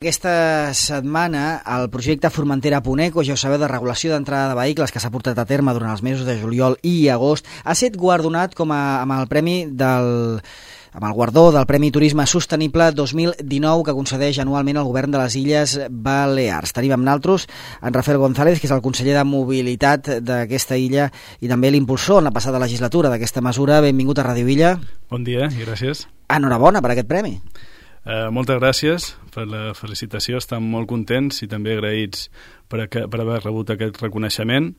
Aquesta setmana el projecte Formentera.eco, ja ho sabeu, de regulació d'entrada de vehicles que s'ha portat a terme durant els mesos de juliol i agost, ha estat guardonat amb el guardó del Premi Turisme Sostenible 2019 que concedeix anualment el govern de les Illes Balears. Tenim amb nosaltres en Rafael González, que és el conseller de Mobilitat d'aquesta illa i també l'impulsor en la passada legislatura d'aquesta mesura. Benvingut a Ràdio Illa. Bon dia i gràcies. Enhorabona per aquest premi. Moltes gràcies per la felicitació, estem molt contents i també agraïts per haver rebut aquest reconeixement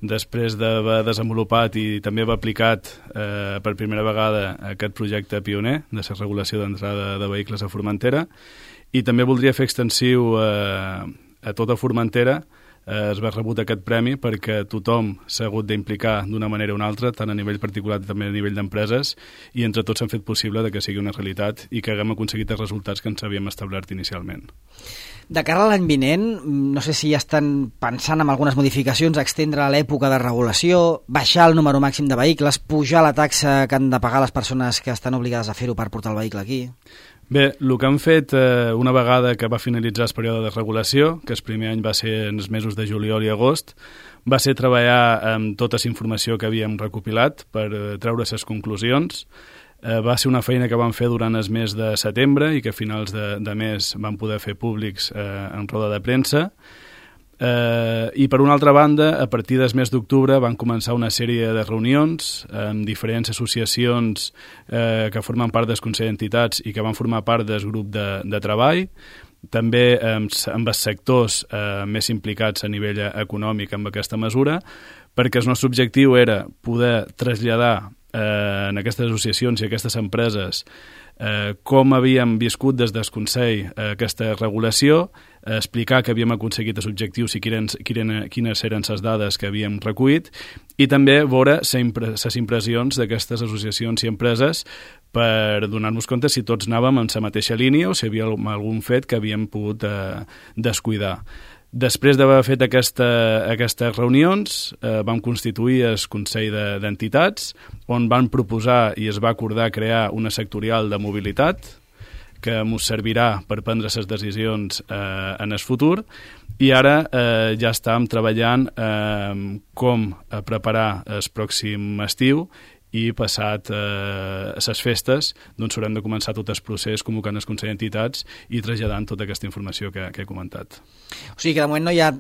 després d'haver desenvolupat i també haver aplicat per primera vegada aquest projecte pioner de la regulació d'entrada de vehicles a Formentera, i també voldria fer extensiu a tota Formentera es va rebut aquest premi perquè tothom s'ha hagut d'implicar d'una manera o una altra, tant a nivell particular també a nivell d'empreses, i entre tots hem fet possible que sigui una realitat i que haguem aconseguit els resultats que ens havíem establert inicialment. De cara a l'any vinent, no sé si ja estan pensant en algunes modificacions, extendre l'època de regulació, baixar el número màxim de vehicles, pujar la taxa que han de pagar les persones que estan obligades a fer-ho per portar el vehicle aquí. Bé, el que han fet una vegada que va finalitzar el període de regulació, que el primer any va ser en els mesos de juliol i agost, va ser treballar amb tota la informació que havíem recopilat per treure les conclusions. Va ser una feina que vam fer durant el mes de setembre i que a finals de mes vam poder fer públics en roda de premsa. I per una altra banda, a partir del mes d'octubre van començar una sèrie de reunions amb diferents associacions que formen part del Consell d'Entitats i que van formar part del grup de treball, també amb els sectors més implicats a nivell econòmic amb aquesta mesura, perquè el nostre objectiu era poder traslladar en aquestes associacions i aquestes empreses com havíem viscut des del Consell aquesta regulació, explicar que havíem aconseguit els objectius i quines eren les dades que havíem recollit, i també veure les impressions d'aquestes associacions i empreses per donar-nos compte si tots anàvem en la mateixa línia o si hi havia algun fet que havíem pogut descuidar. Després d'haver fet aquestes reunions, vam constituir el Consell d'Entitats, on van proposar i es va acordar crear una sectorial de mobilitat que ens servirà per prendre les decisions en el futur, i ara ja estàvem treballant com preparar el pròxim estiu, i passat les festes doncs haurem de començar tot el procés convocant el Consell d'Entitats i traslladant tota aquesta informació que he comentat. O sigui que de moment no hi ha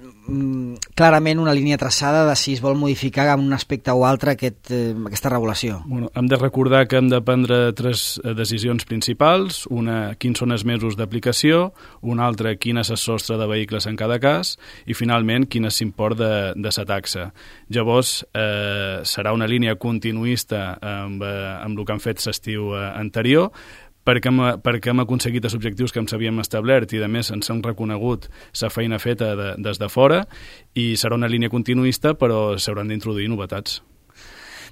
clarament una línia traçada de si es vol modificar en un aspecte o altre aquesta regulació. Bueno, hem de recordar que hem de prendre tres decisions principals: una, quins són els mesos d'aplicació; una altra, quin és el sostre de vehicles en cada cas; i finalment, quin és l'import de la taxa. Llavors, serà una línia continuista amb el que han fet l'estiu anterior, perquè hem aconseguit els objectius que ens havíem establert i, a més, ens hem reconegut la feina feta des de fora, i serà una línia continuista, però s'hauran d'introduir novetats.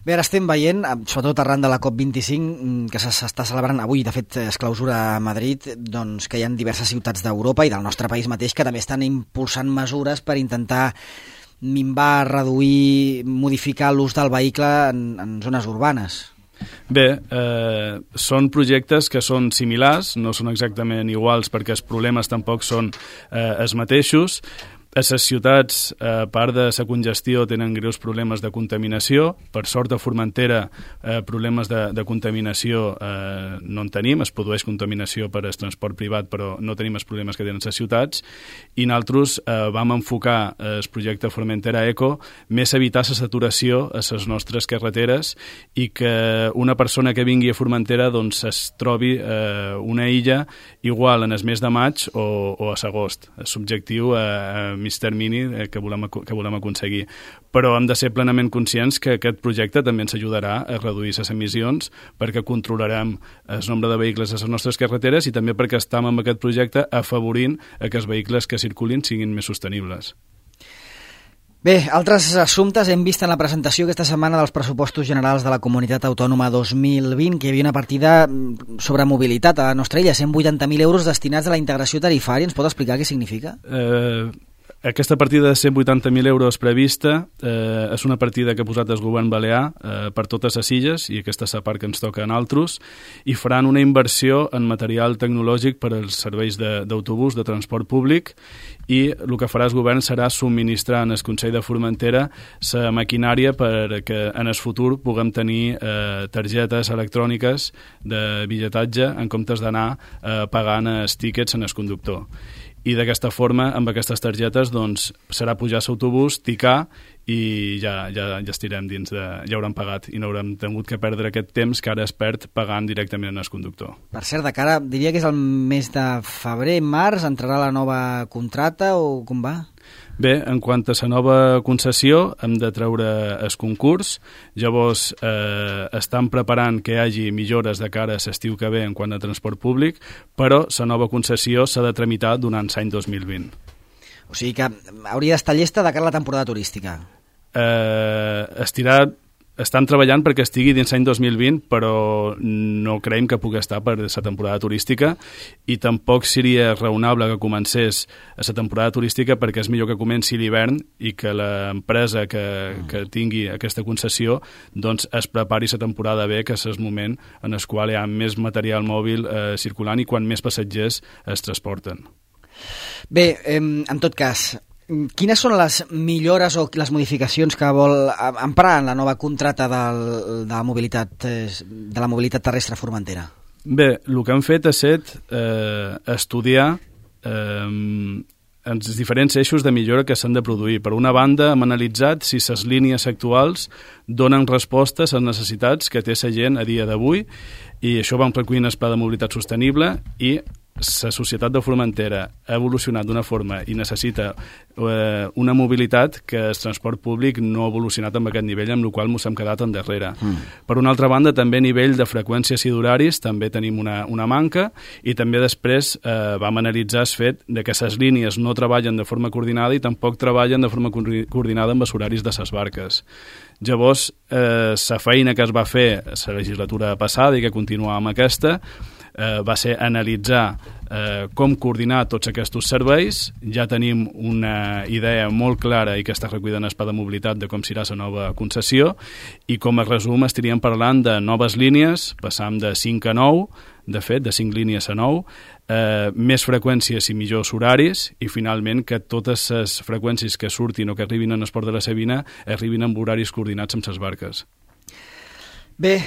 Bé, ara estem veient, sobretot arran de la COP25, que s'està celebrant avui, de fet es clausura a Madrid, doncs que hi ha diverses ciutats d'Europa i del nostre país mateix que també estan impulsant mesures per intentar minvar, reduir, modificar l'ús del vehicle en zones urbanes. Bé, són projectes que són similars, no són exactament iguals perquè els problemes tampoc són els mateixos. A les ciutats, a part de la congestió, tenen greus problemes de contaminació. Per sort, a Formentera, problemes de contaminació no en tenim. Es produeix contaminació per al transport privat, però no tenim els problemes que tenen les ciutats. I nosaltres vam enfocar el projecte Formentera.eco més a evitar la saturació a les nostres carreteres i que una persona que vingui a Formentera doncs, es trobi una illa igual en el mes de maig o a l'agost. És l'objectiu mig termini que volem aconseguir. Però hem de ser plenament conscients que aquest projecte també ens ajudarà a reduir les emissions, perquè controlarem el nombre de vehicles a les nostres carreteres i també perquè estem amb aquest projecte afavorint que els vehicles que circulin siguin més sostenibles. Bé, altres assumptes hem vist en la presentació aquesta setmana dels pressupostos generals de la Comunitat Autònoma 2020, que hi havia una partida sobre mobilitat a la nostra illa, 180.000 euros destinats a la integració tarifària. Ens pot explicar què significa? Aquesta partida de 180.000 euros prevista és una partida que ha posat el govern balear per totes les illes, i aquesta és la part que ens toca a nosaltres, i faran una inversió en material tecnològic per als serveis d'autobús, de transport públic, i el que farà el govern serà subministrar en el Consell de Formentera la maquinària perquè en el futur puguem tenir targetes electròniques de bitlletatge en comptes d'anar pagant els tíquets en el conductor. I d'aquesta forma, amb aquestes targetes, doncs, serà pujar a l'autobús, ticar, i ja estirem dins ja hauran pagat i no haurem tingut que perdre aquest temps que ara es perd pagant directament al conductor. Per cert, de cara, diria que és el mes de febrer, març, entrarà la nova contracta o com va? Bé, en quant a la nova concessió, hem de treure el concurs. Llavors, estan preparant que hi hagi millores de cara a l'estiu que ve en quant a transport públic, però la nova concessió s'ha de tramitar durant l'any 2020. O sigui que hauria d'estar llesta de cara a la temporada turística. Estan treballant perquè estigui dins l'any 2020, però no creiem que pugui estar per la temporada turística, i tampoc seria raonable que comencés a la temporada turística, perquè és millor que comenci l'hivern i que l'empresa que tingui aquesta concessió doncs es prepari la temporada bé, que és el moment en el qual hi ha més material mòbil circulant i quan més passatgers es transporten. Bé, en tot cas, quines són les millores o les modificacions que vol emprar en la nova contracta de la mobilitat terrestre a Formentera? Bé, el que han fet ha estat estudiar els diferents eixos de millora que s'han de produir. Per una banda, hem analitzat si les línies actuals donen respostes a les necessitats que té la gent a dia d'avui, i això vam recollir en el Pla de Mobilitat Sostenible, i la societat de Formentera ha evolucionat d'una forma i necessita una mobilitat que el transport públic no ha evolucionat amb aquest nivell, amb el qual ens hem quedat endarrere. Per una altra banda, també a nivell de freqüències i d'horaris també tenim una manca, i també després vam analitzar el fet de que les línies no treballen de forma coordinada i tampoc treballen de forma coordinada amb els horaris de les barques. Llavors, la feina que es va fer la legislatura passada i que continua amb aquesta va ser analitzar com coordinar tots aquests serveis. Ja tenim una idea molt clara i que està recollida en el Pla de Mobilitat de com serà la nova concessió, i com a resum estaríem parlant de noves línies, passam de 5 a 9, de fet, de 5 línies a 9, més freqüències i millors horaris, i finalment que totes les freqüències que surtin o que arribin en el port de la Sabina arribin amb horaris coordinats amb les barques. Bé,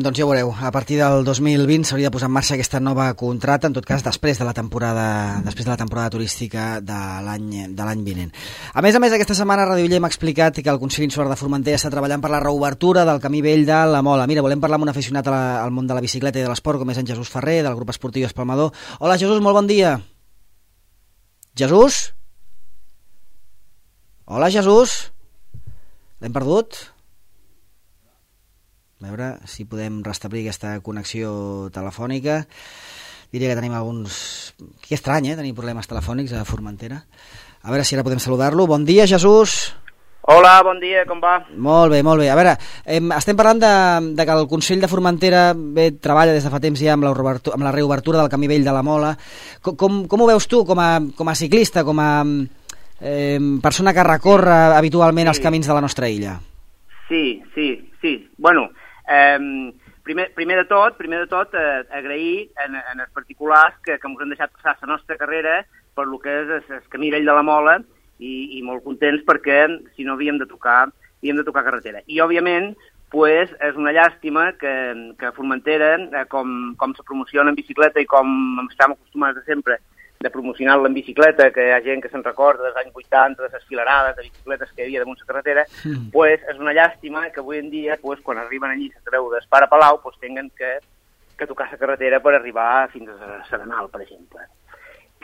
doncs ja ho veureu, a partir del 2020 s'hauria de posar en marxa aquesta nova contracta, en tot cas després de la temporada turística de l'any vinent. A més, aquesta setmana Ràdio Illa m'ha explicat que el Consell Insular de Formentera està treballant per la reobertura del camí vell de la Mola. Mira, volem parlar amb un aficionat al món de la bicicleta i de l'esport, com és en Jesús Ferrer, del grup esportiu Espalmador. Hola, Jesús, molt bon dia. Jesús? Hola, Jesús? L'hem perdut? A veure si podem restablir aquesta connexió telefònica. Diria que tenim alguns... Que estrany, tenir problemes telefònics a Formentera. A veure si ara podem saludar-lo. Bon dia, Jesús. Hola, bon dia, com va? Molt bé, molt bé. A veure, estem parlant de que el Consell de Formentera treballa des de fa temps ja amb la reobertura del camí vell de la Mola. Com ho veus tu com a ciclista, com a persona que recorre habitualment els camins de la nostra illa? Sí. Bueno, primer de tot agrair en els particulars que ens han deixat passar la nostra carrera per lo que és el camí vell de la Mola, i molt contents perquè si no havíem de tocar carretera. I òbviament pues, és una llàstima que a Formentera, com se promociona en bicicleta i com estem acostumats de sempre de promocionar la en bicicleta, que hi ha gent que se'n recorda dels anys 80, de les filarades de bicicletes que hi havia damunt la carretera, pues, és una llàstima que avui en dia, pues, quan arriben allí a treu d'Espara Palau, pues, tinguin que tocar la carretera per arribar fins a Serenal, per exemple.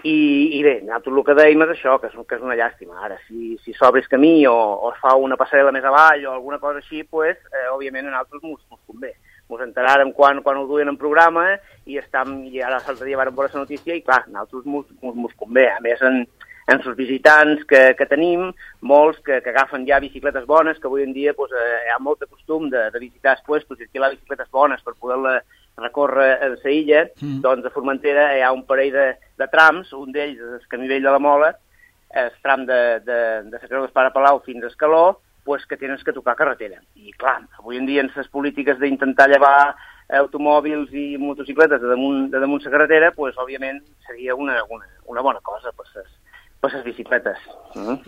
I bé, nosaltres el que dèiem és això, que és una llàstima. Ara, si s'obre el camí o es fa una passarel·la més avall o alguna cosa així, pues, òbviament a nosaltres mos convé. Mos enteràrem quan ho duien en programa i ara l'altre dia vam veure la notícia i clar, a nosaltres mos convé. A més, en els visitants que tenim, molts que agafen ja bicicletes bones, que avui en dia pues, hi ha molt de costum de visitar els puestos i alquilar bicicletes bones per poder recórrer a la illa, doncs a Formentera hi ha un parell de trams, un d'ells és el camí vell de la Mola, el tram de la Creu d'Espara Palau fins a Escaló, pues, que tens que tocar carretera. I clar, avui en dia en les polítiques d'intentar llevar automòbils i motocicletes de damunt la carretera, pues, òbviament seria una bona cosa per les bicicletes.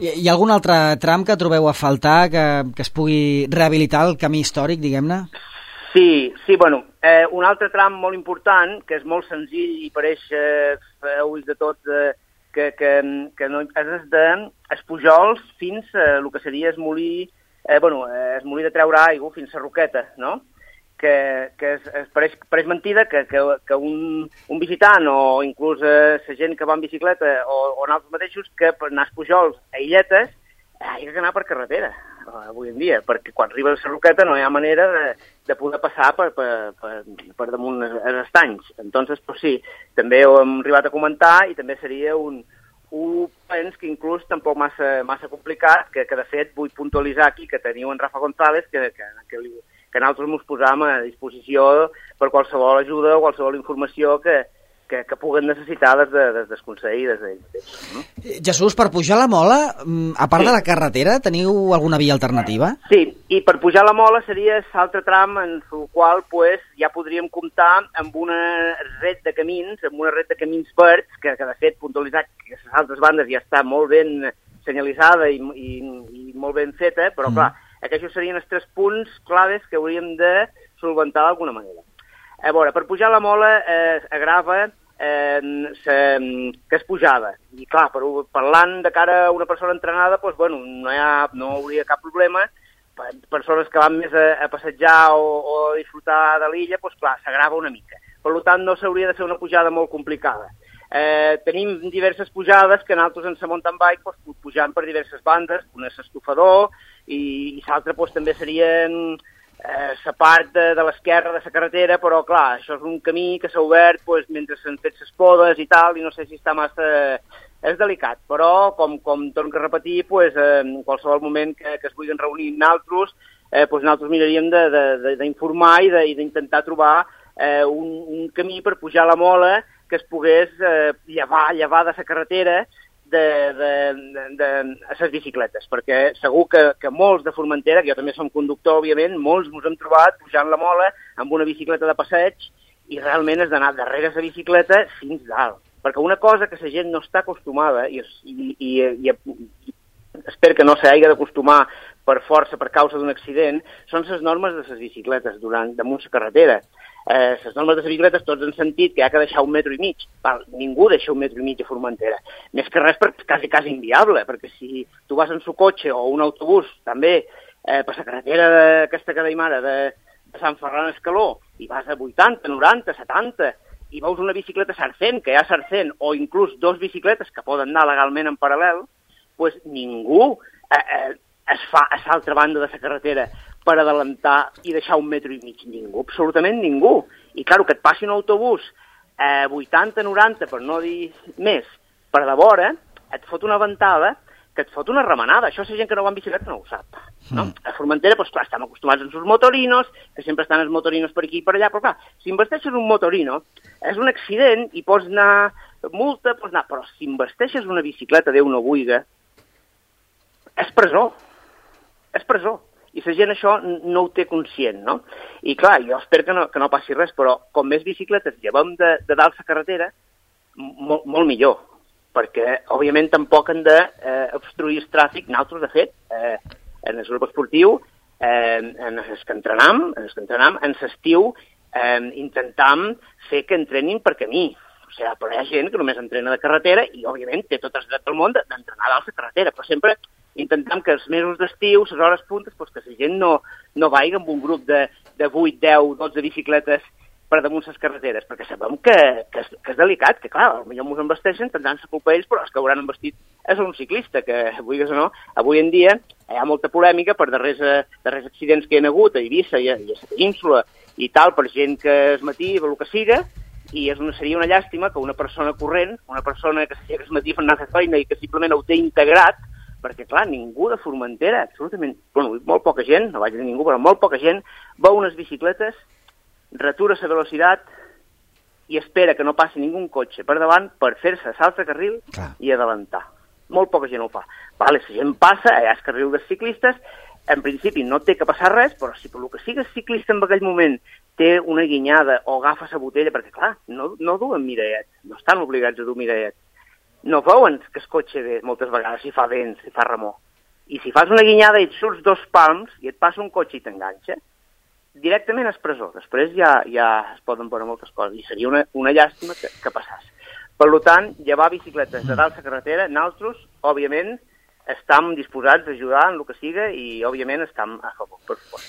Hi ha algun altre tram que trobeu a faltar, que es pugui rehabilitar el camí històric, diguem-ne? Sí, bueno, un altre tram molt important, que és molt senzill i pareix a ulls de tots, que no, és dels Pujols fins a el que seria el molí de treure aigua fins a Roqueta, no? Que pareix mentida que un visitant o inclús la gent que va en bicicleta o nosaltres mateixos, que per anar als Pujols a Illetes hi ha que anar per carretera avui en dia, perquè quan arriba a la Roqueta no hi ha manera de poder passar per damunt els estanys. Entonces, pues sí, també ho hem arribat a comentar i també seria un pens que inclús tampoc massa complicat, que de fet vull puntualitzar aquí que teniu en Rafa González, que nosaltres ens posam a disposició per qualsevol ajuda o qualsevol informació que puguen necessitar des del Consell i des d'ell mateix. No? Jesús, per pujar a la Mola, a part de la carretera, teniu alguna via alternativa? Sí, i per pujar a la Mola seria l'altre tram en el qual ja podríem comptar amb una red de camins, verds, que de fet, puntualitzat que les altres bandes ja està molt ben senyalitzada i molt ben feta, però clar, aquests serien els 3 punts claves que hauríem de solventar d'alguna manera. A veure, per pujar a la Mola agrava que és pujada. I clar, parlant de cara a una persona entrenada, doncs, bueno, no hauria cap problema. Persones que van més a passejar o a disfrutar de l'illa, doncs clar, s'agrava una mica. Per tant, no s'hauria de fer una pujada molt complicada. Tenim diverses pujades que nosaltres en la mountain bike pujant per diverses bandes, una és l'estofador i l'altra també serien la part de l'esquerra de la carretera, però clar, això és un camí que s'ha obert mentre s'han fet les podes i tal, i no sé si està massa... És delicat, però com torno a repetir, en qualsevol moment que es vulguin reunir nosaltres, nosaltres miraríem d'informar i d'intentar trobar un camí per pujar a la Mola que es pogués llevar de la carretera a les bicicletes, perquè segur que molts de Formentera, que jo també som conductor, òbviament, molts ens hem trobat pujant la Mola amb una bicicleta de passeig i realment has d'anar darrere la bicicleta fins dalt. Perquè una cosa que la gent no està acostumada, i espero que no s'hagi d'acostumar per força, per causa d'un accident, són les normes de les bicicletes damunt la carretera. Les normes de les bicicletes tots han sentit que hi ha que deixar 1,5 metres. Ningú deixa 1,5 metres a Formentera. Més que res perquè és quasi inviable, perquè si tu vas en su cotxe o un autobús també per la carretera aquesta que deim ara de Sant Ferran a Escaló i vas a 80, 90, 70 i veus una bicicleta sarcent, que hi ha sarcent, o inclús 2 bicicletes que poden anar legalment en paral·lel, doncs ningú es fa a l'altra banda de la carretera per adelantar i deixar 1,5 metres. Ningú, absolutament ningú. I, clar, que et passi un autobús 80, 90, per no dir més, per de vora, et fot una ventada que et fot una remenada. Això la gent que no va en bicicleta no ho sap. No? A Formentera, doncs clar, estem acostumats als motorinos, que sempre estan els motorinos per aquí i per allà, però clar, si investeixes un motorino, és un accident i pots anar multa, però si investeixes una bicicleta, Déu no vulga, és presó. És presó. I la gent això no ho té conscient, no? I clar, jo espero que no passi res, però com més bicicletes llevem de dalt la carretera, molt millor. Perquè, òbviament, tampoc han d'obstruir el tràfic. Nosaltres, de fet, en el grup esportiu, en els que entrenam, en l'estiu, intentam fer que entrenin per camí. O sigui, però hi ha gent que només entrena de carretera i, òbviament, té tot el dret del món d'entrenar dalt la carretera, però sempre intentam que els mesos d'estiu, les hores puntes, que la gent no vagi amb un grup de 8, 10, 12 bicicletes per damunt les carreteres, perquè sabem que és delicat, que clar, potser ens embesteixen, tindran la culpa ells, però els que hauran embestit és un ciclista, que vulguis o no, avui en dia hi ha molta polèmica per darrers accidents que hi ha hagut a Eivissa i a la Península i tal, per gent que es matí, el que siga, i seria una llàstima que una persona corrent, una persona que es matí fent anar a feina i que simplement ho té integrat, perquè, clar, ningú de Formentera, absolutament, molt poca gent, no vaig dir ningú, però molt poca gent, veu unes bicicletes, retura la velocitat i espera que no passi ningú cotxe per davant per fer-se salta carril i adelantar. molt poca gent ho fa. Vale, si gent passa, allà és carril dels ciclistes, en principi no té que passar res, però si per el que sigues ciclista en aquell moment té una guinyada o agafa la botella, perquè clar, no duen mirallet, no estan obligats a dur mirallet. No veuen que el cotxe ve moltes vegades si fa vent, si fa remor. I si fas una guinyada i et surts 2 palms i et passa un cotxe i t'enganxa, directament és presó. Després ja es poden veure moltes coses i seria una llàstima que passàs. Per tant, llevar bicicletes de dalt la carretera, nosaltres, òbviament, estem disposats a ajudar en el que siga i, òbviament, estem a favor, per favor.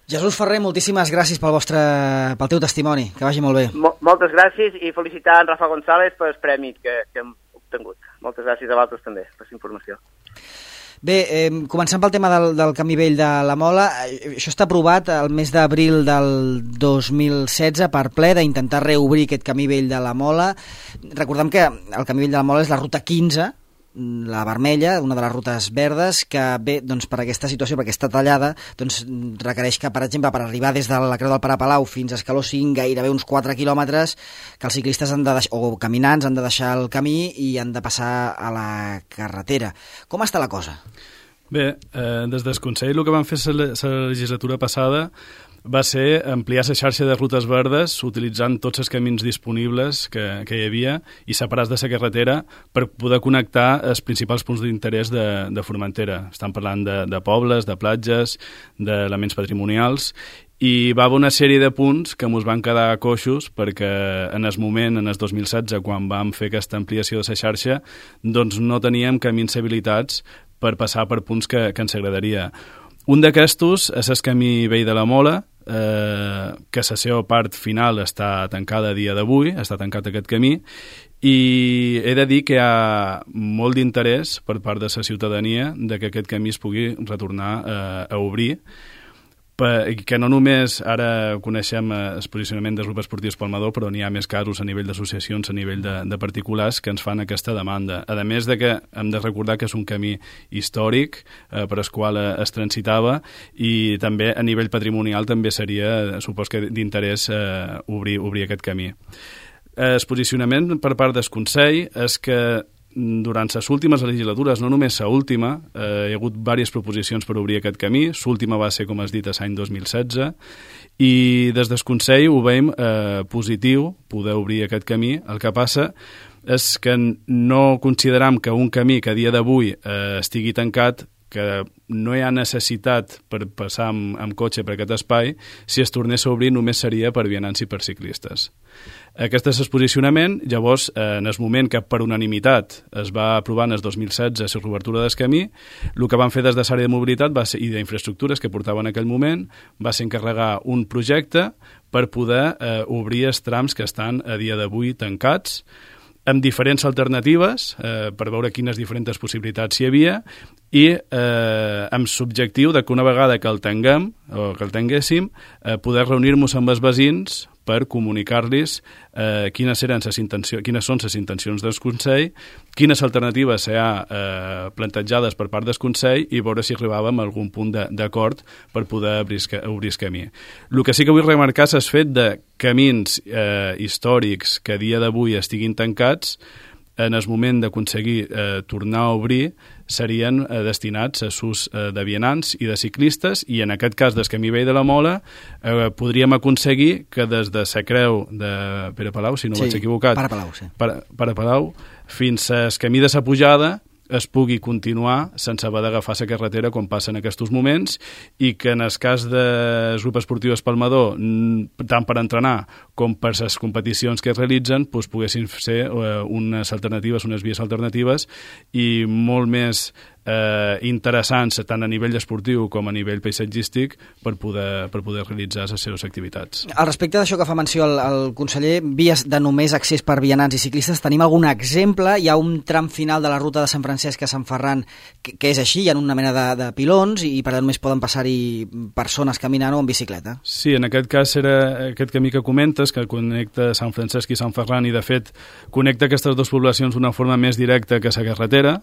Jesús Ferrer, moltíssimes gràcies pel teu testimoni. Que vagi molt bé. Moltes gràcies i felicitar en Rafa González pel premi que hem obtingut. Moltes gràcies a vosaltres també per la informació. Bé, començant pel tema del camí vell de la Mola, això està aprovat el mes d'abril del 2016 per ple d'intentar reobrir aquest camí vell de la Mola. Recordem que el camí vell de la Mola és la ruta 15, la vermella, una de les rutes verdes, que bé, doncs, per aquesta situació, perquè està tallada, doncs, requereix que, per exemple, per arribar des de la Creu del Pare Palau fins a Escaló 5, gairebé uns 4 quilòmetres, que els ciclistes o caminants han de deixar el camí i han de passar a la carretera. Com està la cosa? Bé, des del Consell el que van fer la legislatura passada va ser ampliar la xarxa de rutes verdes utilitzant tots els camins disponibles que hi havia i separats de la carretera per poder connectar els principals punts d'interès de Formentera. Estan parlant de pobles, de platges, d'elements patrimonials, i va haver una sèrie de punts que ens van quedar coixos perquè en el moment, en el 2016, quan vam fer aquesta ampliació de la xarxa, doncs no teníem camins habilitats per passar per punts que ens agradaria. Un d'aquestos és el camí vell de la Mola, que la seva part final està tancada a dia d'avui, està tancat aquest camí, i he de dir que hi ha molt d'interès per part de la ciutadania de que aquest camí es pugui retornar a obrir, que no només ara coneixem el posicionament dels grups esportius Palmador, però n'hi ha més casos a nivell d'associacions, a nivell de particulars que ens fan aquesta demanda. A més de que hem de recordar que és un camí històric per al qual es transitava i també a nivell patrimonial també seria, supos que d'interès obrir aquest camí. El posicionament per part del Consell és que durant les últimes legislatures, no només l'última, hi ha hagut diverses proposicions per obrir aquest camí. L'última va ser, com has dit, l'any 2016, i des del Consell ho veiem positiu poder obrir aquest camí. El que passa és que no consideram que un camí que a dia d'avui estigui tancat, que no hi ha necessitat per passar amb cotxe per aquest espai, si es tornés a obrir només seria per vianants i per ciclistes. Aquest és el posicionament. Llavors, en el moment que per unanimitat es va aprovar en el 2016 la reobertura del camí, el que van fer des de l'àrea de mobilitat i d'infraestructures que portaven en aquell moment va ser encarregar un projecte per poder obrir els trams que estan a dia d'avui tancats, amb diferents alternatives per veure quines diferents possibilitats hi havia i amb l'objectiu que una vegada que el tinguem o que el tinguéssim poder reunir-nos amb els veïns per comunicar-los quines són les intencions del Consell, quines alternatives hi ha plantejades per part del Consell i veure si arribàvem a algun punt d'acord per poder obrir el camí. El que sí que vull remarcar és el fet de camins històrics que a dia d'avui estiguin tancats, en el moment d'aconseguir tornar a obrir, serien destinats a ús de vianants i de ciclistes, i en aquest cas del camí vell de la Mola podríem aconseguir que des de la Creu de Pere Palau, si no vaig equivocat, Pare Palau, sí. Pare Palau, fins al camí de la Pujada es pugui continuar sense haver d'agafar la carretera com passa en aquests moments, i que en el cas del grup esportiu Espalmador, tant per entrenar com per les competicions que es realitzen, doncs poguessin ser unes alternatives, unes vies alternatives i molt més interessants tant a nivell esportiu com a nivell paisatgístic per poder realitzar les seves activitats. Al respecte d'això que fa menció el conseller, vies de només accés per vianants i ciclistes, tenim algun exemple? Hi ha un tram final de la ruta de Sant Francesc a Sant Ferran que és així, hi ha una mena de pilons i per tant només poden passar-hi persones caminant o en bicicleta? Sí, en aquest cas era aquest camí que comentes, que connecta Sant Francesc i Sant Ferran i de fet connecta aquestes dues poblacions d'una forma més directa que la carretera.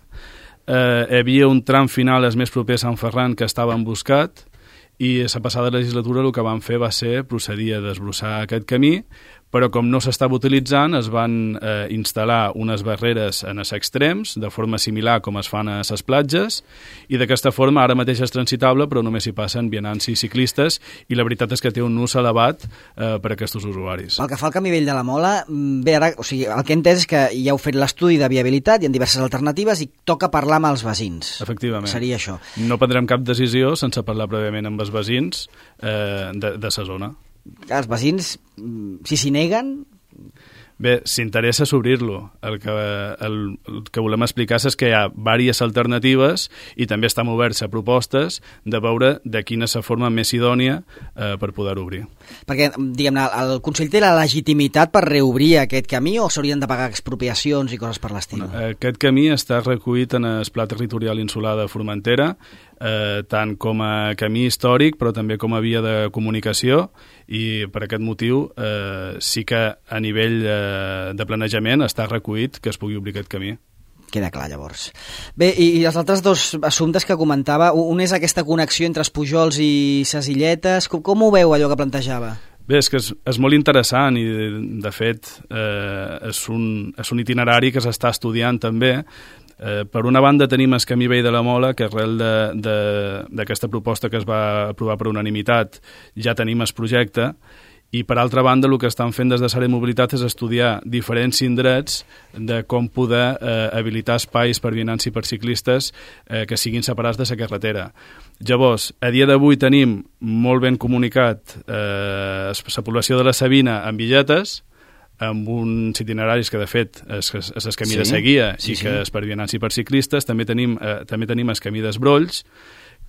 Hi havia un tram final el més proper a Sant Ferran que estava emboscat i la passada legislatura el que van fer va ser procedir a desbrossar aquest camí però com no s'estava utilitzant es van instal·lar unes barreres en els extrems, de forma similar com es fan a les platges, i d'aquesta forma ara mateix és transitable, però només hi passen vianants i ciclistes, i la veritat és que té un ús elevat per a aquests usuaris. Pel que fa al camí vell de la Mola, bé, ara, o sigui, el que he entès és que ja heu fet l'estudi de viabilitat, hi ha diverses alternatives i toca parlar amb els veïns. Efectivament. Seria això. No prendrem cap decisió sense parlar prèviament amb els veïns de la zona. Els veïns, si s'hi neguen... Bé, s'interessa s'obrir-lo. El que volem explicar és que hi ha diverses alternatives i també estem oberts a propostes de veure de quina és la forma més idònia per poder obrir. Perquè, diguem-ne, el Consell té la legitimitat per reobrir aquest camí o s'haurien de pagar expropiacions i coses per l'estil? Aquest camí està recollit en el Pla Territorial Insular de Formentera, tant com a camí històric però també com a via de comunicació, i per aquest motiu sí que a nivell de planejament està recollit que es pugui obrir aquest camí. Queda clar, llavors. Bé, i els altres dos assumptes que comentava, un és aquesta connexió entre els Pujols i ses Illetes. Com ho veu, allò que plantejava? Bé, és que és molt interessant i, de fet, és un itinerari que s'està estudiant també. Per una banda tenim el camí vell de la Mola, que arrel d'aquesta proposta que es va aprovar per unanimitat ja tenim el projecte, i per altra banda el que estan fent des de Sara de Mobilitat és estudiar diferents indrets de com poder habilitar espais per vianants i per ciclistes que siguin separats de la carretera. Llavors, a dia d'avui tenim molt ben comunicat la població de la Sabina amb billetes, amb uns itineraris que, de fet, és el camí de Seguia i que és per vianants i per ciclistes. També tenim el camí d'Esbrolls,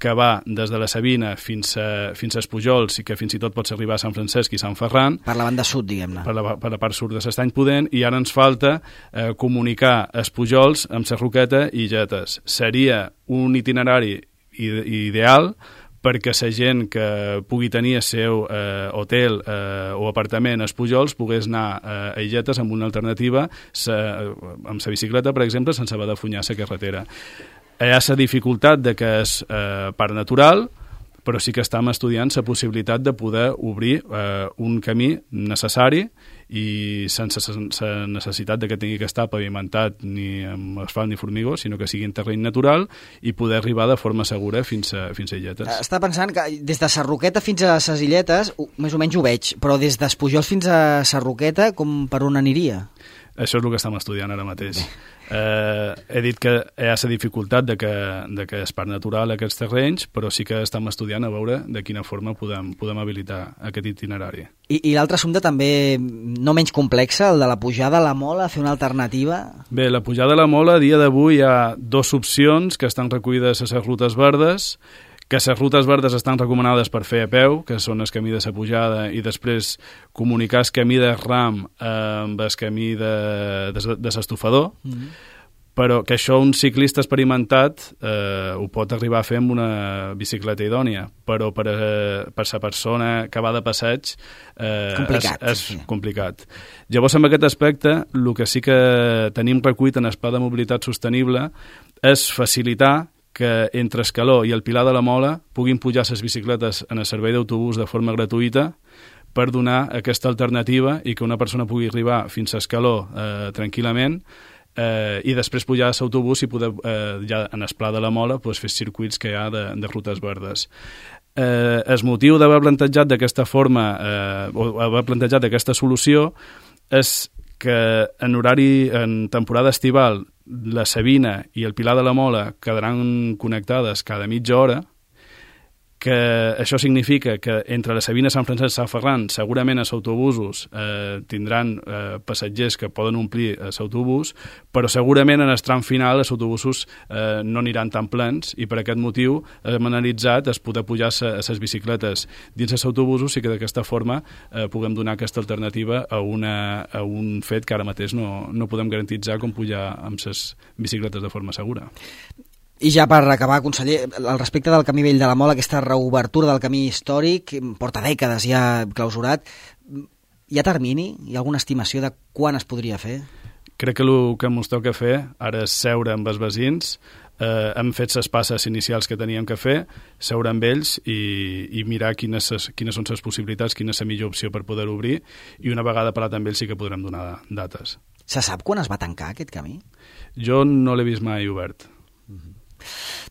que va des de la Sabina fins als Pujols i que fins i tot pots arribar a Sant Francesc i Sant Ferran. Per la banda sud, diguem-ne. Per la part sud de l'Estany Pudent, i ara ens falta comunicar els Pujols amb la Roqueta i Illetes. Seria un itinerari ideal perquè la gent que pugui tenir el seu hotel o apartament als Pujols pogués anar a Illetes amb una alternativa amb la bicicleta, per exemple, sense haver de funyar la carretera. Hi ha la dificultat de que és parc natural, però sí que estem estudiant la possibilitat de poder obrir un camí necessari i sense la necessitat de que tingui que estar pavimentat ni amb asfalt ni formigó, sinó que sigui en terreny natural i poder arribar de forma segura fins a Illetes. Està pensant que des de Sarroqueta fins a ses Illetes, més o menys ho veig, però des d'Espujols fins a Sarroqueta, com per on aniria? Això és el que estem estudiant ara mateix. He dit que hi ha la dificultat de que és parc natural aquests terrenys, però sí que estem estudiant a veure de quina forma podem habilitar aquest itinerari. I l'altre assumpte també no menys complex, el de la pujada a la Mola, fer una alternativa? Bé, la pujada a la Mola, a dia d'avui hi ha dues opcions que estan recollides a les rutes verdes, que les rutes verdes estan recomanades per fer a peu, que són el camí de la pujada, i després comunicar el camí de ram amb el camí de l'estofador, però que això un ciclista experimentat ho pot arribar a fer amb una bicicleta idònia, però per la persona que va de passeig és complicat. Llavors, en aquest aspecte, el que sí que tenim recollit en el Pla de Mobilitat Sostenible és facilitar que entre Escaló i el Pilar de la Mola puguin pujar les bicicletes en el servei d'autobús de forma gratuïta per donar aquesta alternativa i que una persona pugui arribar fins a Escaló tranquil·lament i després pujar a l'autobús i poder ja en el Pla de la Mola fer circuits que hi ha de rutes verdes. El motiu d'haver plantejat d'aquesta forma o haver plantejat aquesta solució és que en temporada estival la Sabina i el Pilar de la Mola quedaran connectades cada mitja hora, que això significa que entre la Sabina, Sant Francesc i Sant Ferran segurament els autobusos tindran passatgers que poden omplir l'autobús, però segurament en el tram final els autobusos no aniran tan plens, i per aquest motiu hem analitzat es poder pujar a les bicicletes dins els autobusos i que d'aquesta forma puguem donar aquesta alternativa a un fet que ara mateix no podem garantitzar com pujar amb les bicicletes de forma segura. I ja per acabar, conseller, al respecte del camí vell de la Mola, aquesta reobertura del camí històric, porta dècades ja clausurat, hi ha termini? Hi ha alguna estimació de quan es podria fer? Crec que el que ens toca fer ara és seure amb els veïns, hem fet les passes inicials que teníem que fer, seure amb ells i mirar quines són les possibilitats, quina és la millor opció per poder obrir, i una vegada parlat amb ells sí que podrem donar dates. Se sap quan es va tancar aquest camí? Jo no l'he vist mai obert.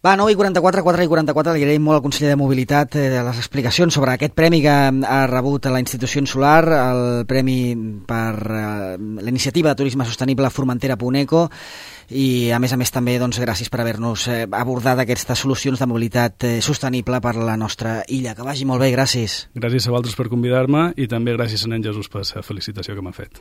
Va, 9:44, 4:44, li agraïm molt al conseller de Mobilitat les explicacions sobre aquest premi que ha rebut a la institució insular, el premi per la iniciativa de turisme sostenible Formentera Puneco, i a més també gràcies per haver-nos abordat aquestes solucions de mobilitat sostenible per la nostra illa. Que vagi molt bé, gràcies. Gràcies a vosaltres per convidar-me i també gràcies a nen Jesús per la felicitació que m'ha fet.